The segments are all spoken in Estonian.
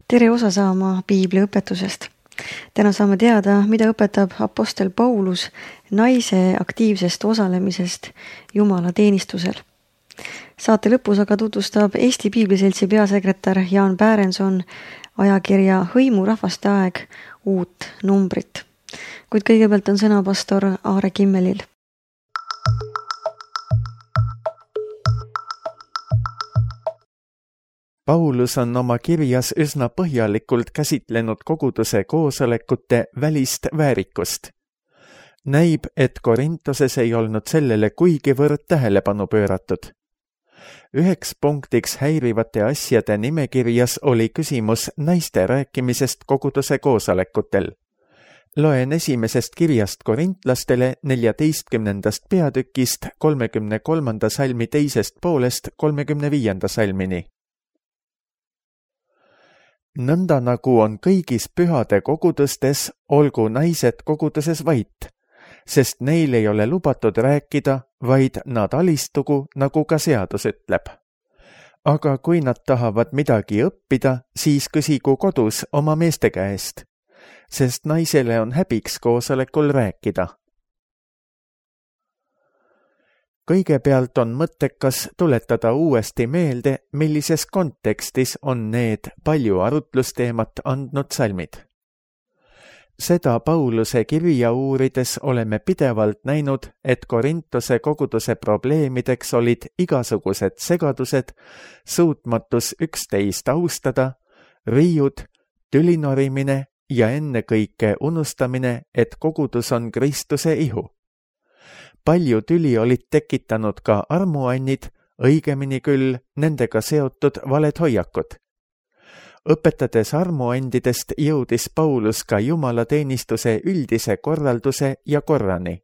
Tere osa saama Piibli õpetusest. Täna saame teada, mida õpetab apostel Paulus naise aktiivsest osalemisest Jumala teenistusel. Saate lõpus aga tutvustab Eesti Piibliseltsi peasekretär Jaan Pärenson ajakirja Hõimu rahvaste aeg uut numbrit. Kuid kõigepealt on sõna pastor Aare Kimmelil. Paulus on oma kirjas üsna põhjalikult käsitlenud koguduse koosolekute välist väärikust. Näib, et Korintoses ei olnud sellele kuigivõrd tähelepanu pööratud. Üheks punktiks häirivate asjade nimekirjas oli küsimus naiste rääkimisest koguduse koosolekutel. Loen esimesest kirjast korintlastele 14. peatükist 33. salmi teisest poolest 35. salmini. Nõnda nagu on kõigis pühade kogudustes, olgu naised koguduses vait, sest neil ei ole lubatud rääkida, vaid nad alistugu, nagu ka seadus ütleb. Aga kui nad tahavad midagi õppida, siis küsigu kodus oma meeste käest, sest naisele on häbiks koosolekul rääkida. Kõigepealt on mõttekas tuletada uuesti meelde, millises kontekstis on need palju arutlusteemat andnud salmid. Seda Pauluse kirja uurides oleme pidevalt näinud, et Korintose koguduse probleemideks olid igasugused segadused, suutmatus üksteist austada, riiud, tülinorimine ja ennekõike unustamine, et kogudus on Kristuse ihu. Palju tüli olid tekitanud ka armuannid, õigemini küll nendega seotud valed hoiakud. Õpetades armuandidest jõudis Paulus ka Jumala teenistuse üldise korralduse ja korrani.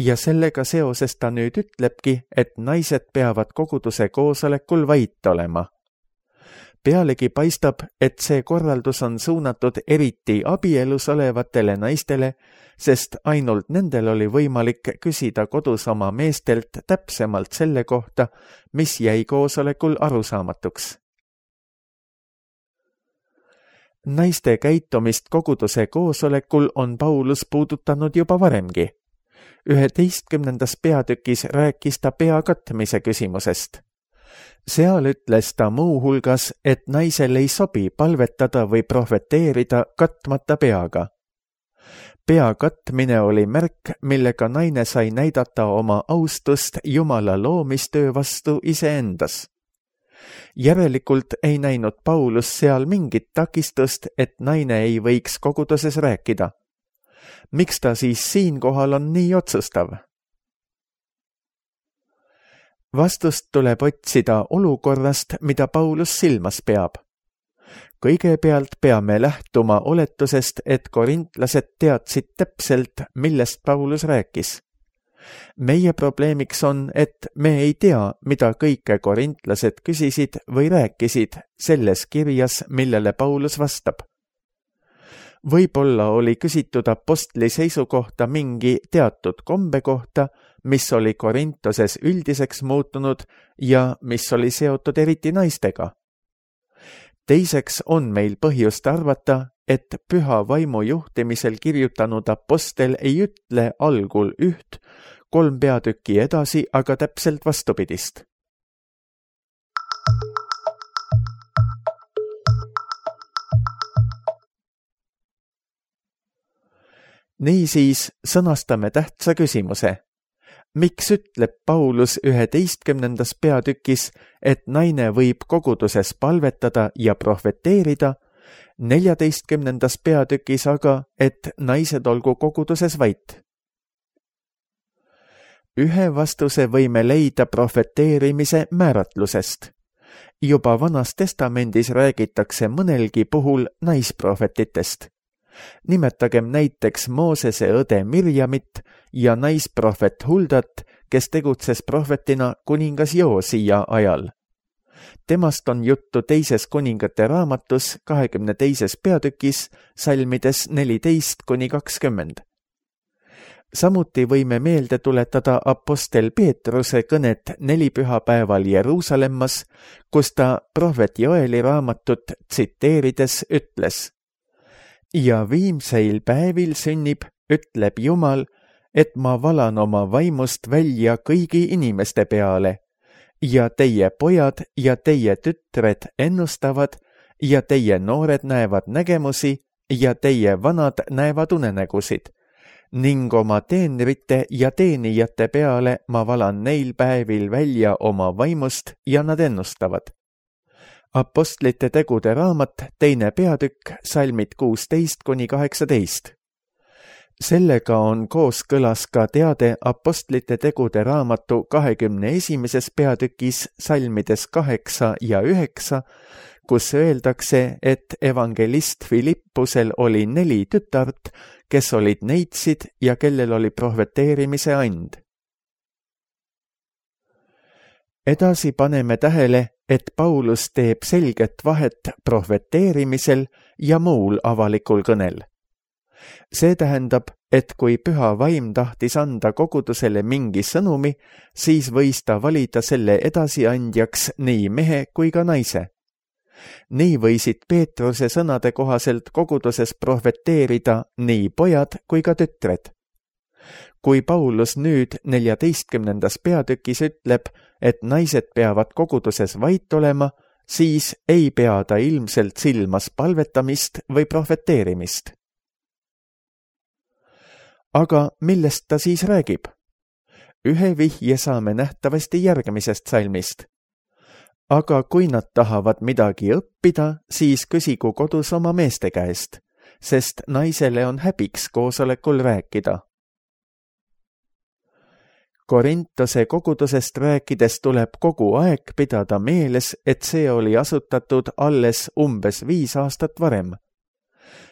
Ja sellega seoses ta nüüd ütlebki, et naised peavad koguduse koosolekul vait olema. Pealegi paistab, et see korraldus on suunatud eriti abielus olevatele naistele, sest ainult nendel oli võimalik küsida kodus oma meestelt täpsemalt selle kohta, mis jäi koosolekul arusaamatuks. Naiste käitumist koguduse koosolekul on Paulus puudutanud juba varemgi. 11. peatükis rääkis ta pea katmise küsimusest. Seal ütles ta muu hulgas, et naisel ei sobi palvetada või prohveteerida katmata peaga. Pea katmine oli märk, millega naine sai näidata oma austust Jumala loomistöö vastu iseendas. Järelikult ei näinud Paulus seal mingit takistust, et naine ei võiks koguduses rääkida. Miks ta siis siinkohal on nii otsustav? Vastust tuleb otsida olukorrast, mida Paulus silmas peab. Kõigepealt peame lähtuma oletusest, et korintlased teadsid täpselt, millest Paulus rääkis. Meie probleemiks on, et me ei tea, mida kõike korintlased küsisid või rääkisid selles kirjas, millele Paulus vastab. Võib-olla oli küsitud apostli seisukohta mingi teatud kombe kohta, mis oli Korintoses üldiseks muutunud ja mis oli seotud eriti naistega. Teiseks on meil põhjust arvata, et püha vaimu juhtimisel kirjutanud apostel ei ütle algul üht, 3 peatükki edasi, aga täpselt vastupidist. Niisiis sõnastame tähtsa küsimuse. Miks ütleb Paulus 11. peatükis, et naine võib koguduses palvetada ja prohveteerida, 14. peatükis aga, et naised olgu koguduses vait? Ühe vastuse võime leida prohveteerimise määratlusest. Juba Vanas Testamendis räägitakse mõnelgi puhul naisprohvetitest. Nimetagem näiteks Moosese õde Mirjamit ja naisprohvet Huldat, kes tegutses prohvetina kuningas Joosia ajal. Temast on juttu 2. kuningate raamatus 22. peatükis salmides 14-20. Samuti võime meelde tuletada apostel Peetruse kõnet nelipühapäeval Jeruusalemmas, kus ta prohvet Joeli raamatut tsiteerides ütles: ja viimseil päevil sünnib, ütleb Jumal, et ma valan oma vaimust välja kõigi inimeste peale ja teie pojad ja teie tütred ennustavad ja teie noored näevad nägemusi ja teie vanad näevad unenägusid ning oma teenrite ja teenijate peale ma valan neil päevil välja oma vaimust ja nad ennustavad. Apostlite tegude raamat, 2. peatükk, salmid 16-18. Sellega on kooskõlas ka teade apostlite tegude raamatu 21. peatükis salmides 8 ja 9, kus öeldakse, et evangelist Filippusel oli 4 tütart, kes olid neitsid ja kellel oli prohveteerimise and. Edasi paneme tähele, et Paulus teeb selget vahet prohveteerimisel ja muul avalikul kõnel. See tähendab, et kui püha vaim tahtis anda kogudusele mingi sõnumi, siis võis ta valida selle edasiandjaks nii mehe kui ka naise. Nii võisid Peetruse sõnade kohaselt koguduses prohveteerida nii pojad kui ka tütred. Kui Paulus nüüd 14. peatükis ütleb, et naised peavad koguduses vait olema, siis ei pea ta ilmselt silmas palvetamist või prohveteerimist. Aga millest ta siis räägib? Ühe vihje saame nähtavasti järgmisest salmist. Aga kui nad tahavad midagi õppida, siis küsigu kodus oma meeste käest, sest naisele on häbiks koosolekul rääkida. Korintose kogudusest rääkides tuleb kogu aeg pidada meeles, et see oli asutatud alles umbes 5 aastat varem.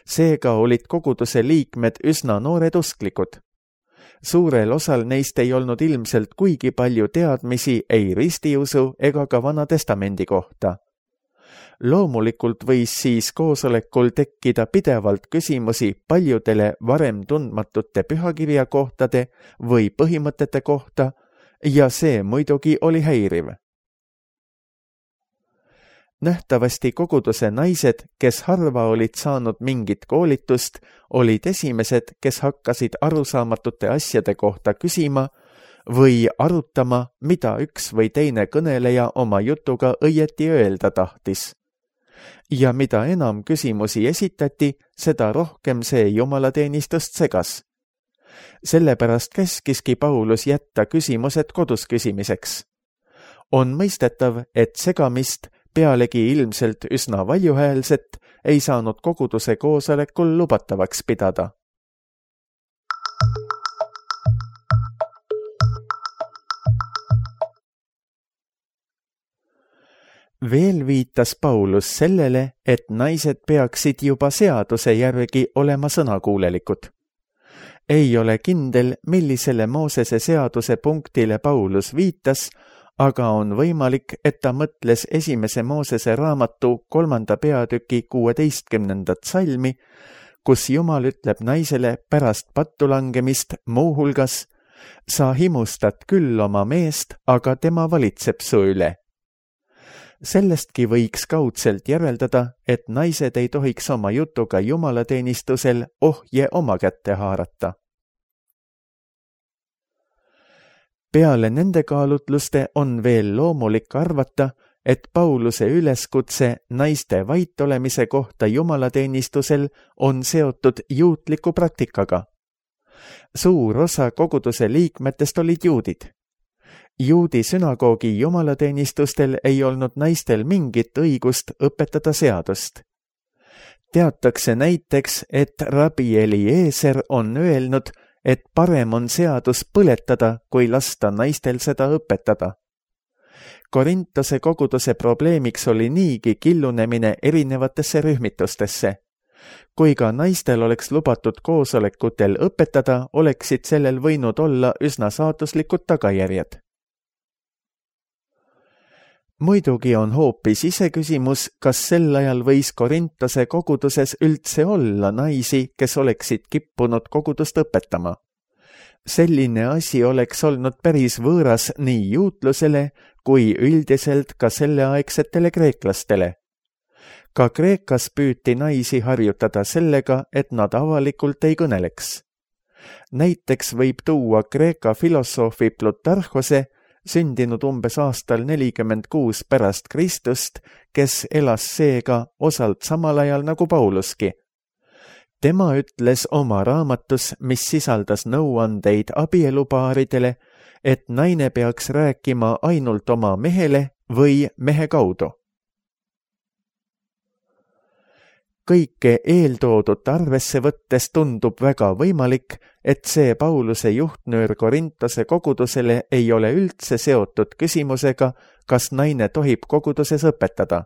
Seega olid koguduse liikmed üsna noored usklikud. Suurel osal neist ei olnud ilmselt kuigi palju teadmisi ei ristiusu ega ka Vana Testamendi kohta. Loomulikult võis siis koosolekul tekkida pidevalt küsimusi paljudele varem tundmatute pühakirjakohtade või põhimõtete kohta ja see muidugi oli häiriv. Nähtavasti koguduse naised, kes harva olid saanud mingit koolitust, olid esimesed, kes hakkasid arusaamatute asjade kohta küsima või arutama, mida üks või teine kõneleja oma jutuga õieti öelda tahtis. Ja mida enam küsimusi esitati, seda rohkem see jumalateenistust segas. Sellepärast käskiski Paulus jätta küsimused kodus küsimiseks. On mõistetav, et segamist, pealegi ilmselt üsna valjuhäälset, ei saanud koguduse koosolekul lubatavaks pidada. Veel viitas Paulus sellele, et naised peaksid juba seaduse järgi olema sõnakuulelikud. Ei ole kindel, millisele Moosese seaduse punktile Paulus viitas, aga on võimalik, et ta mõtles 1. Moosese raamatu 3. peatüki 16. salmi, kus Jumal ütleb naisele pärast pattu langemist muuhulgas: sa himustad küll oma meest, aga tema valitseb su üle. Sellestki võiks kaudselt järeldada, et naised ei tohiks oma jutuga jumalateenistusel ohje oma kätte haarata. Peale nende kaalutluste on veel loomulik arvata, et Pauluse üleskutse naiste vait olemise kohta jumalateenistusel on seotud juutliku praktikaga. Suur osa koguduse liikmetest olid juudid. Juudi sünagoogi jumalateenistustel ei olnud naistel mingit õigust õpetada seadust. Teatakse näiteks, et rabi Eliezer on öelnud, et parem on seadus põletada, kui lasta naistel seda õpetada. Korintose koguduse probleemiks oli niigi killunemine erinevatesse rühmitustesse. Kui ka naistel oleks lubatud koosolekutel õpetada, oleksid sellel võinud olla üsna saatuslikud tagajärjed. Muidugi on hoopis iseküsimus, kas sel ajal võis Korintose koguduses üldse olla naisi, kes oleksid kippunud kogudust õpetama. Selline asi oleks olnud päris võõras nii juutlusele kui üldiselt ka selleaegsetele kreeklastele. Ka Kreekas püüti naisi harjutada sellega, et nad avalikult ei kõneleks. Näiteks võib tuua Kreeka filosoofi Plutarhose, sündinud umbes aastal 46 pärast Kristust, kes elas seega osalt samal ajal nagu Pauluski. Tema ütles oma raamatus, mis sisaldas nõuandeid abielupaaridele, et naine peaks rääkima ainult oma mehele või mehe kaudu. Kõike eeltoodut arvesse võttes tundub väga võimalik, et see Pauluse juhtnöör Korintose kogudusele ei ole üldse seotud küsimusega, kas naine tohib koguduses õpetada.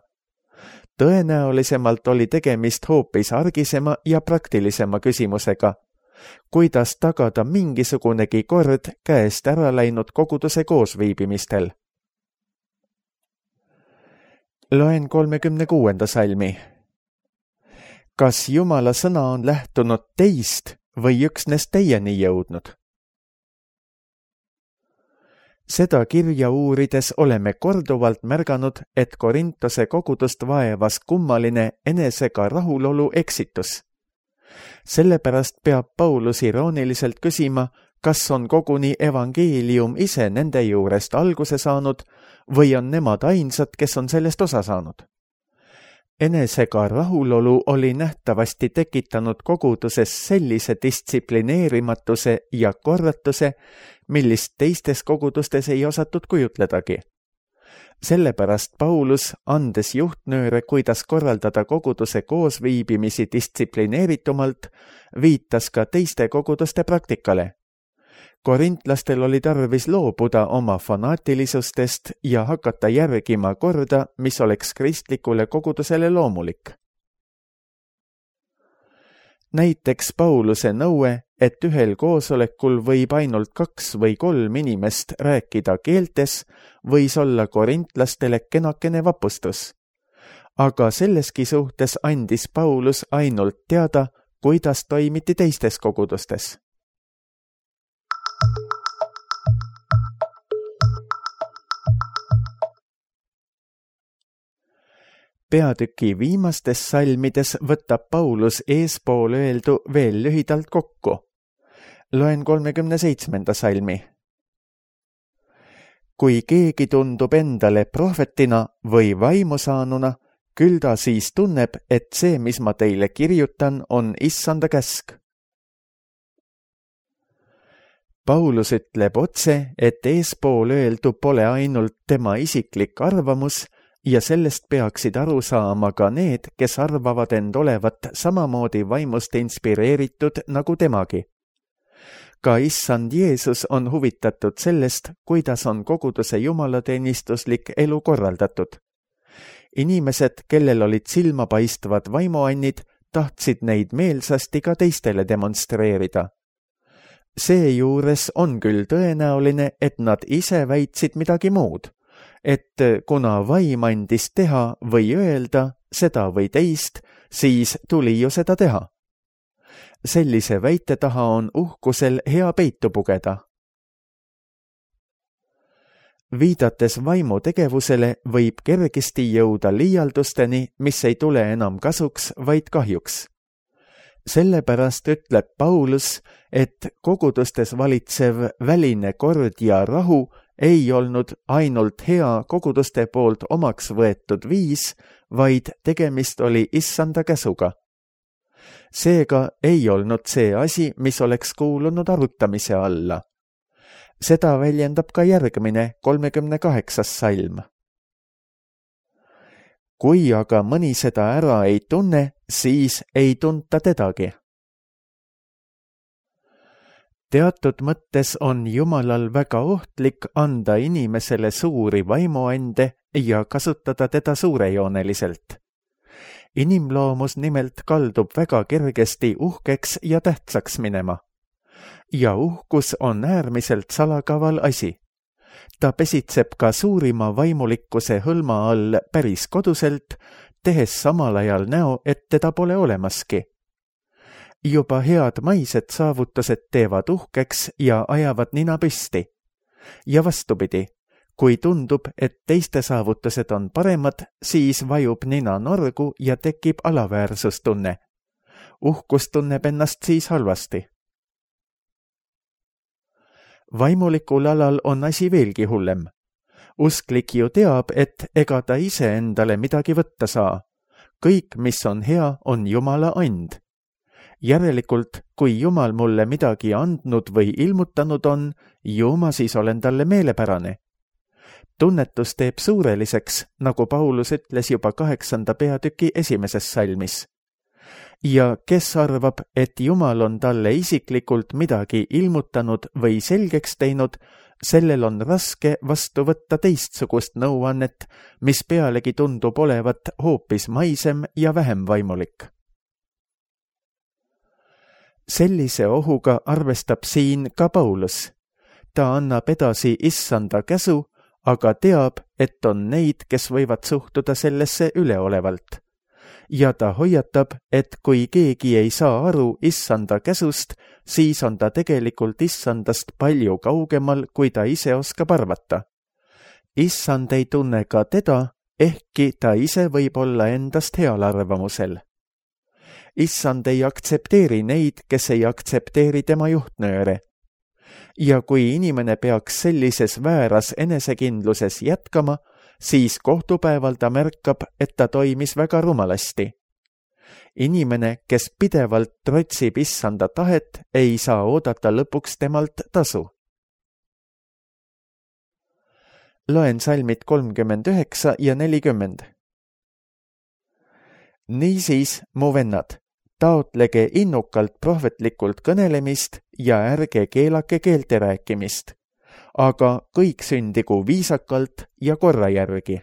Tõenäolisemalt oli tegemist hoopis argisema ja praktilisema küsimusega. Kuidas tagada mingisugunegi kord käest ära läinud koguduse koosviibimistel? Loen 36. salmi. Kas Jumala sõna on lähtunud teist või üksnes teieni jõudnud? Seda kirja uurides oleme korduvalt märganud, et Korintose kogudust vaevas kummaline enesega rahulolu eksitus. Sellepärast peab Paulus irooniliselt küsima, kas on koguni evangeelium ise nende juurest alguse saanud või on nemad ainsad, kes on sellest osa saanud. Enesega rahulolu oli nähtavasti tekitanud koguduses sellise distsiplineerimatuse ja korratuse, millist teistes kogudustes ei osatud kujutledagi. Sellepärast Paulus, andes juhtnööre, kuidas korraldada koguduse koosviibimisi distsiplineeritumalt, viitas ka teiste koguduste praktikale. Korintlastel oli tarvis loobuda oma fanaatilisustest ja hakata järgima korda, mis oleks kristlikule kogudusele loomulik. Näiteks Pauluse nõue, et ühel koosolekul võib ainult 2 või 3 inimest rääkida keeltes, võis olla korintlastele kenakene vapustus. Aga selleski suhtes andis Paulus ainult teada, kuidas toimiti teistes kogudustes. Peatüki viimastes salmides võtab Paulus eespool öeldu veel lühidalt kokku. Loen 37. salmi. Kui keegi tundub endale prohvetina või vaimusaanuna, küll ta siis tunneb, et see, mis ma teile kirjutan, on issanda käsk. Paulus ütleb otse, et eespool öeldu pole ainult tema isiklik arvamus, ja sellest peaksid aru saama ka need, kes arvavad end olevat samamoodi vaimust inspireeritud nagu temagi. Ka issand Jeesus on huvitatud sellest, kuidas on koguduse jumalateenistuslik elu korraldatud. Inimesed, kellel olid silmapaistvad vaimuannid, tahtsid neid meelsasti ka teistele demonstreerida. Seejuures on küll tõenäoline, et nad ise väitsid midagi muud, et kuna vaim andis teha või öelda seda või teist, siis tuli ju seda teha. Sellise väite taha on uhkusel hea peitu pugeda. Viidates vaimu tegevusele võib kergesti jõuda liialdusteni, mis ei tule enam kasuks, vaid kahjuks. Sellepärast ütleb Paulus, et kogudustes valitsev väline kord ja rahu ei olnud ainult hea koguduste poolt omaks võetud viis, vaid tegemist oli issanda käsuga. Seega ei olnud see asi, mis oleks kuulunud arutamise alla. Seda väljendab ka järgmine 38. salm. Kui aga mõni seda ära ei tunne, siis ei tunta tedagi. Teatud mõttes on Jumalal väga ohtlik anda inimesele suuri vaimuande ja kasutada teda suurejooneliselt. Inimloomus nimelt kaldub väga kergesti uhkeks ja tähtsaks minema. Ja uhkus on äärmiselt salakaval asi. Ta pesitseb ka suurima vaimulikkuse hõlma all päris koduselt, tehes samal ajal näo, et teda pole olemaski. juba head maised saavutused teevad uhkeks ja ajavad nina püsti. Ja vastupidi, kui tundub, et teiste saavutused on paremad, siis vajub nina norgu ja tekib alaväärsustunne. Uhkus tunneb ennast siis halvasti. Vaimulikul alal on asi veelgi hullem. Usklik ju teab, et ega ta ise endale midagi võtta saa. Kõik, mis on hea, on Jumala and. Järelikult, kui Jumal mulle midagi andnud või ilmutanud on, ju ma siis olen talle meelepärane. Tunnetus teeb suureliseks, nagu Paulus ütles juba 8. peatüki 1. salmis. Ja kes arvab, et Jumal on talle isiklikult midagi ilmutanud või selgeks teinud, sellel on raske vastu võtta teistsugust nõuannet, mis pealegi tundub olevat hoopis maisem ja vähem vaimulik. Sellise ohuga arvestab siin ka Paulus. Ta annab edasi issanda käsu, aga teab, et on neid, kes võivad suhtuda sellesse üleolevalt. Ja ta hoiatab, et kui keegi ei saa aru issanda käsust, siis on ta tegelikult issandast palju kaugemal, kui ta ise oskab arvata. Issand ei tunne ka teda, ehkki ta ise võib olla endast heal arvamusel. Issand ei aktsepteeri neid, kes ei aktsepteeri tema juhtnööre. Ja kui inimene peaks sellises vääras enesekindluses jätkama, siis kohtupäeval ta märkab, et ta toimis väga rumalasti. Inimene, kes pidevalt trotsib issanda tahet, ei saa oodata lõpuks temalt tasu. Loen salmid 39 ja 40. Niisiis, mu vennad, taotlege innukalt prohvetlikult kõnelemist ja ärge keelake keelte rääkimist, aga kõik sündigu viisakalt ja korra järgi.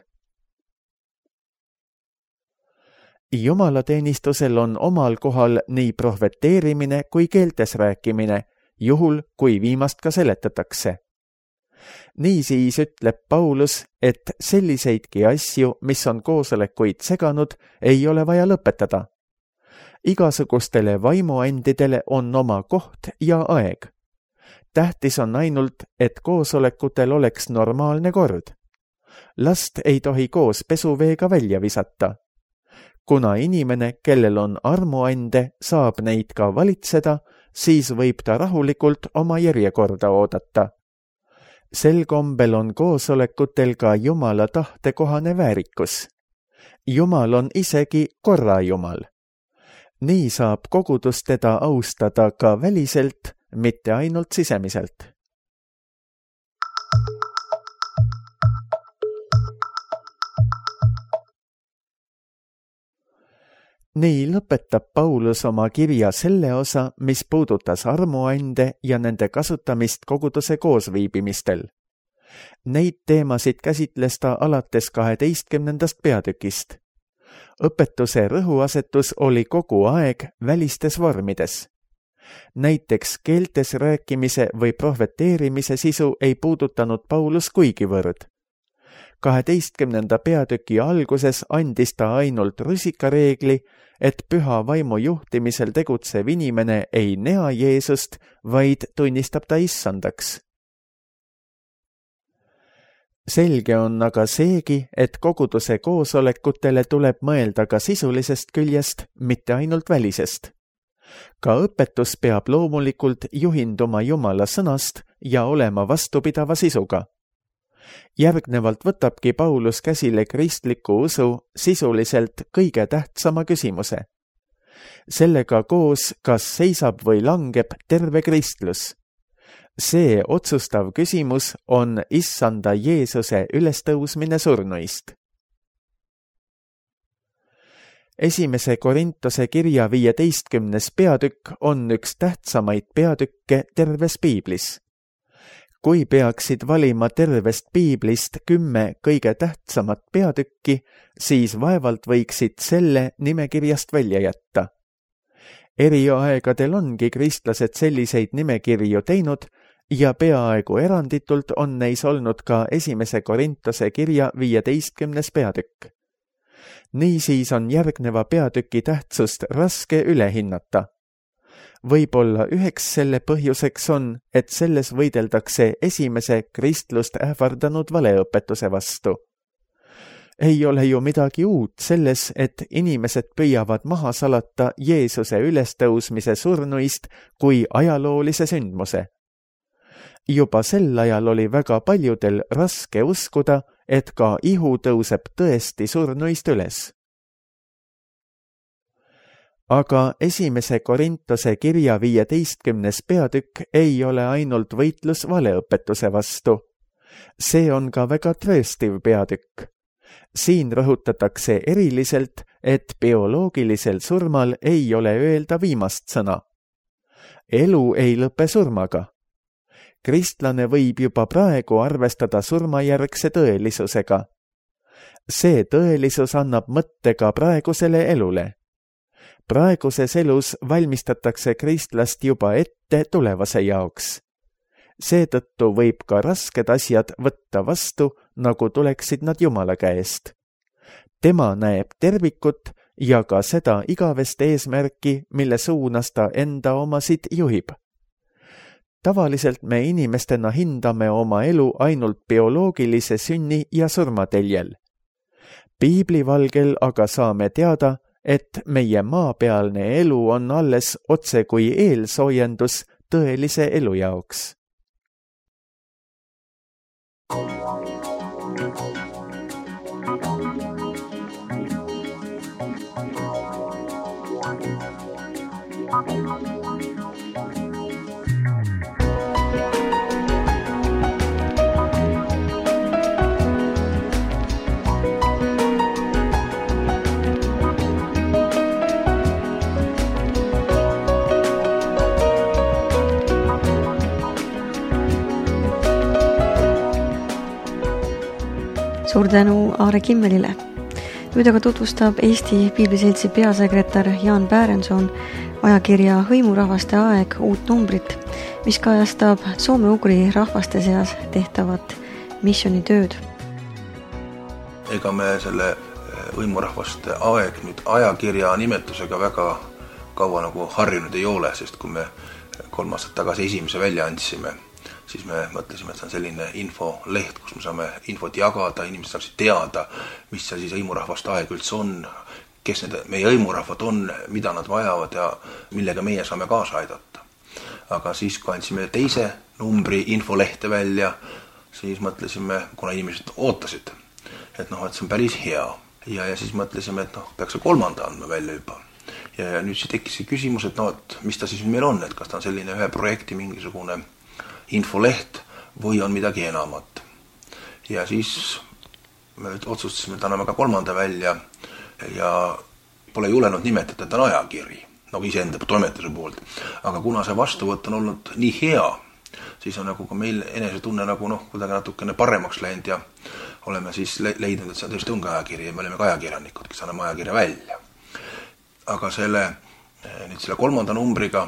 Jumalateenistusel on omal kohal nii prohveteerimine kui keeltes rääkimine, juhul kui viimast ka seletatakse. Niisiis ütleb Paulus, et selliseidki asju, mis on koosolekuid seganud, ei ole vaja lõpetada. Igasugustele vaimuandidele on oma koht ja aeg. Tähtis on ainult, et koosolekutel oleks normaalne kord. Last ei tohi koos pesuveega välja visata. Kuna inimene, kellel on armuande, saab neid ka valitseda, siis võib ta rahulikult oma järjekorda oodata. Sel kombel on koosolekutel ka Jumala tahtekohane väärikus. Jumal on isegi korra Jumal. Nii saab kogudus teda austada ka väliselt, mitte ainult sisemiselt. Nii lõpetab Paulus oma kirja selle osa, mis puudutas armuande ja nende kasutamist koguduse koosviibimistel. Neid teemasid käsitles ta alates 12. peatükist. Õpetuse rõhuasetus oli kogu aeg välistes vormides. Näiteks keeltes rääkimise või prohveteerimise sisu ei puudutanud Paulus kuigivõrd. 12. peatüki alguses andis ta ainult rusikareegli, et püha vaimu juhtimisel tegutsev inimene ei näe Jeesust, vaid tunnistab ta issandaks. Selge on aga seegi, et koguduse koosolekutele tuleb mõelda ka sisulisest küljest, mitte ainult välisest. Ka õpetus peab loomulikult juhinduma Jumala sõnast ja olema vastupidava sisuga. Järgnevalt võtabki Paulus käsile kristliku usu sisuliselt kõige tähtsama küsimuse. Sellega koos, kas seisab või langeb terve kristlus. See otsustav küsimus on issanda Jeesuse ülestõusmine surnuist. 1. Korintuse kirja 15. peatükk on üks tähtsamaid peatükke terves piiblis. Kui peaksid valima tervest piiblist 10 kõige tähtsamat peatükki, siis vaevalt võiksid selle nimekirjast välja jätta. Eri aegadel ongi kristlased selliseid nimekirju teinud ja peaaegu eranditult on neis olnud ka 1. Korintuse kirja 15. peatükk. Niisiis on järgneva peatüki tähtsust raske üle hinnata. Võib-olla üheks selle põhjuseks on, et selles võideldakse esimese kristlust ähvardanud valeõpetuse vastu. Ei ole ju midagi uut selles, et inimesed püüavad maha salata Jeesuse ülestõusmise surnuist kui ajaloolise sündmuse. Juba sel ajal oli väga paljudel raske uskuda, et ka ihu tõuseb tõesti surnuist üles. Aga esimese Korintuse kirja 15. peatükk ei ole ainult võitlus valeõpetuse vastu. See on ka väga trööstiv peatükk. Siin rõhutatakse eriliselt, et bioloogilisel surmal ei ole öelda viimast sõna. Elu ei lõpe surmaga. Kristlane võib juba praegu arvestada surmajärgse tõelisusega. See tõelisus annab mõtte ka praegusele elule. Praeguses elus valmistatakse kristlast juba ette tulevase jaoks. Seetõttu võib ka rasked asjad võtta vastu, nagu tuleksid nad Jumala käest. Tema näeb tervikut ja ka seda igavest eesmärki, mille suunas ta enda omasid juhib. Tavaliselt me inimestena hindame oma elu ainult bioloogilise sünni ja surmateljel. Piibli valgel aga saame teada, et meie maapealne elu on alles otse kui eelsoojendus tõelise elu jaoks. Suur tänu Aare Kimmelile. Nüüd aga tutvustab Eesti Piibliseltsi peasekretär Jaan Pärenson ajakirja Hõimurahvaste aeg uut numbrit, mis kajastab soome-ugri rahvaste seas tehtavat missioonitööd. Ega me selle Hõimurahvaste aeg nüüd ajakirja nimetusega väga kaua nagu harjunud ei ole, sest kui me 3 aastat tagasi esimese välja andsime, siis me mõtlesime, et see on selline infoleht, kus me saame infot jagada, inimesed saaksid teada, mis see siis hõimurahvaste aeg üldse on, kes need meie hõimurahvad on, mida nad vajavad ja millega meie saame kaasa aidata. Aga siis, kui andsime teise numbri infolehte välja, siis mõtlesime, kuna inimesed ootasid, et see on päris hea. Ja siis mõtlesime, et peaks 3. andma välja juba. Ja nüüd siis tekkis see küsimus, et mis ta siis meil on, et kas ta on selline ühe projekti mingisugune infoleht või on midagi enamat. Ja siis me otsustasime, et anname ka 3. välja ja pole julenud nimetada, et on ajakiri, nagu iseenda toimetuse poolt. Aga kuna see vastuvõtt on olnud nii hea, siis on nagu ka meil enesetunne nagu kuidagi natukene paremaks läinud ja oleme siis leidnud, et see tõesti on ka ajakiri ja me oleme ka ajakirjanikud, kes anname ajakirja välja. Aga selle 3. numbriga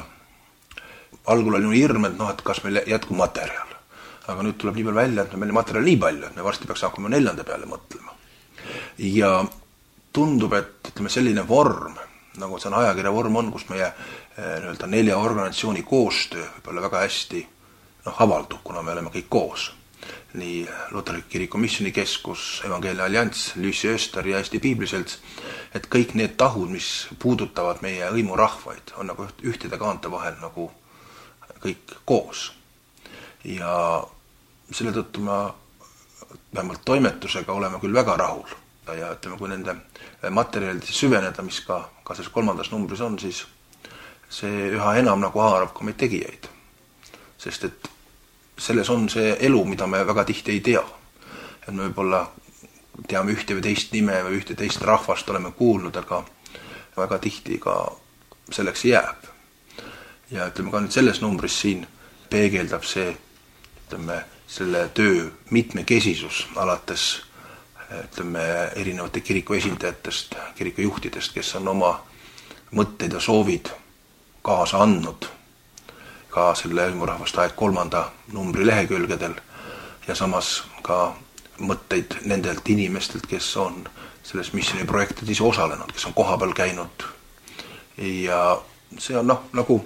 algul oli hirm, et kas meil jätkub materjal. Aga nüüd tuleb nii palju välja, et meil materjal nii palju, et me varsti peaks hakkama 4. peale mõtlema. Ja tundub, et selline vorm, nagu see on ajakirja vorm on, kus meie 4 organisatsiooni koostöö võib olla väga hästi avaldub, kuna me oleme kõik koos. Nii Luterliku Kiriku Missioonikeskus, Evangeelne Allianss, Lüüsi Öster ja Eesti Piibliselts, et kõik need tahud, mis puudutavad meie hõimurahvaid, on nagu ühtede kaante vahel nagu kõik koos. Ja selle tõttu me vähemalt toimetusega oleme küll väga rahul. Ja kui nende materjalide süveneda, mis ka selles 3. numbris on, siis see üha enam nagu haarab ka meid tegijaid. Sest et selles on see elu, mida me väga tihti ei tea. Et me võib-olla teame ühte või teist nime või ühte teist rahvast oleme kuulnud, aga väga tihti ka selleks jääb. Ja ka nüüd selles numbris siin peegeldab see selle töö mitmekesisus alates erinevate kiriku esindajatest, kiriku juhtidest, kes on oma mõtteid ja soovid kaasa andnud ka selle hõimurahvaste aeg 3. numbri lehekülgedel ja samas ka mõtteid nendelt inimestelt, kes on selles missiooniprojektides osalenud, kes on kohapeal käinud. Ja see on nagu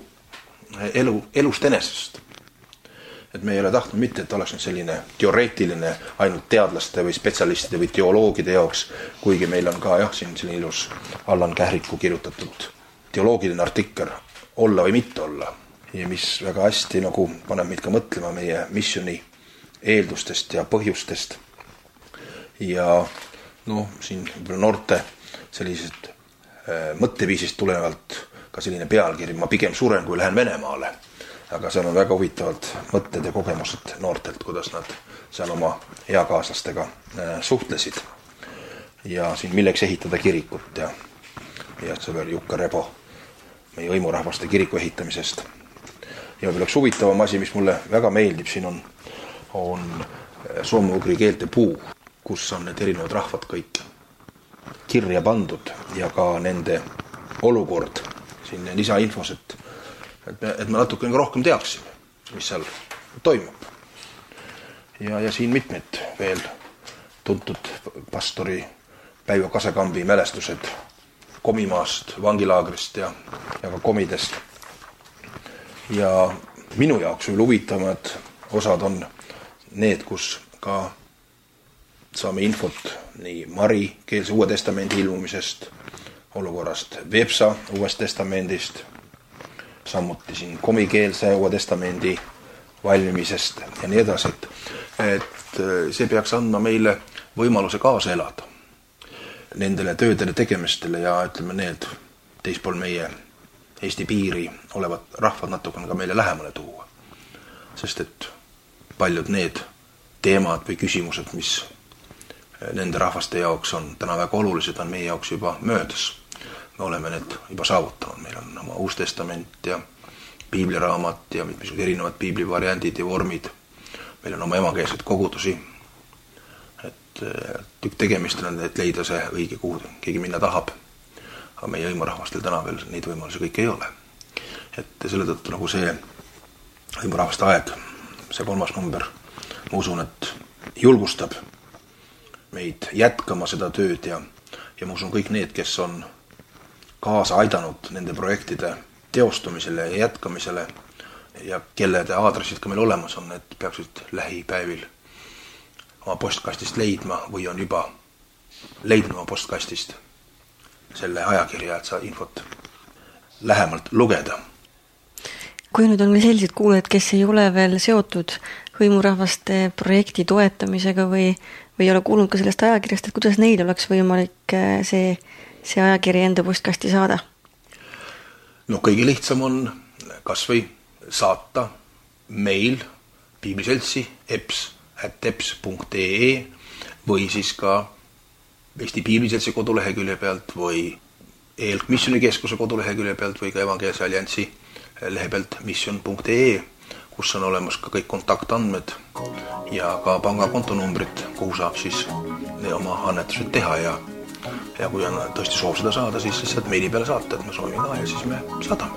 elust enesest. Et me ei ole tahtnud mitte, et oleks nüüd selline teoreetiline ainult teadlaste või spetsialistide või teoloogide jaoks, kuigi meil on ka siin selline ilus Allan Kähriku kirjutatud teoloogiline artikkel olla või mitte olla. Ja mis väga hästi nagu paneb meid ka mõtlema meie missioni eeldustest ja põhjustest. Ja siin noorte sellised mõtteviisist tulenevalt ka selline pealkiri, ma pigem suren, kui lähen Venemaale. Aga seal on väga huvitavad mõtted ja kogemused noortelt, kuidas nad seal oma eakaaslastega suhtlesid. Ja siin milleks ehitada kirikut ja sõber Jukka Rebo meie hõimurahvaste kiriku ehitamisest. Ja veel üks huvitavam asi, mis mulle väga meeldib, siin on soome-ugri keelte puu, kus on need erinevad rahvad kõik kirja pandud ja ka nende olukord siin lisainfos, et me natuke rohkem teaksime, mis seal toimub. Ja siin mitmed veel tuntud pastori Päivo Kasekambi mälestused Komimaast, vangilaagrist ja ka komidest. Ja minu jaoks veel huvitavad osad on need, kus ka saame infot nii Mari keelse Uue Testamendi ilmumisest, olukorrast Vepsa Uuest Testamendist, samuti siin komikeelse Uue Testamendi valmimisest ja nii edasi, et see peaks andma meile võimaluse kaasa elada nendele töödele tegemistele ja ütleme need teispool meie Eesti piiri olevad rahvad natukene ka meile lähemale tuua. Sest et paljud need teemad või küsimused, mis nende rahvaste jaoks on täna väga olulised, on meie jaoks juba möödas. Me oleme need juba saavutanud. Meil on oma Uus Testament ja piibliraamat ja mitmesugused erinevad piiblivariandid ja vormid. Meil on oma emakeelseid kogudusi. Et tegemist on, et leida see õige, kuhu keegi minna tahab. Aga meie hõimurahvastel täna veel neid võimalusi kõik ei ole. Et selle tõttu nagu see hõimurahvaste aeg, see 3. number, ma usun, et julgustab meid jätkama seda tööd ja ma usun kõik need, kes on kaasa aidanud nende projektide teostumisele ja jätkamisele ja kelle aadressid ka meil olemas on, et peaksid lähipäevil oma postkastist leidma või on juba leidnud oma postkastist selle ajakirja, et sa infot lähemalt lugeda. Kui nüüd on veel sellised kuulajad, kes ei ole veel seotud hõimurahvaste projekti toetamisega või ei ole kuulnud ka sellest ajakirjast, et kuidas neil oleks võimalik see ajakiri enda postkasti saada? Kõige lihtsam on kas või saata meil piibliseltsi eps@eps.ee või siis ka Eesti Piibliseltsi kodulehekülje pealt või EELK Missionikeskuse kodulehekülje pealt või ka Evangeelse Alliansi lehe pealt mission.ee, kus on olemas ka kõik kontaktandmed ja ka pangakontonumbrid, kuhu saab siis oma annetused teha ja kui on tõesti soov seda saada, siis lihtsalt meili peale saata, et ma soovin ka ja siis me saadame.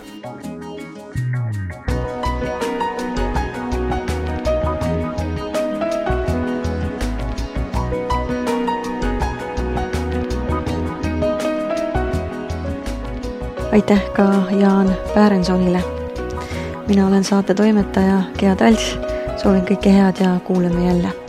Aitäh ka Jaan Päärensonile. Mina olen saate toimetaja Gea Tals. Soovin kõike head ja kuuleme jälle.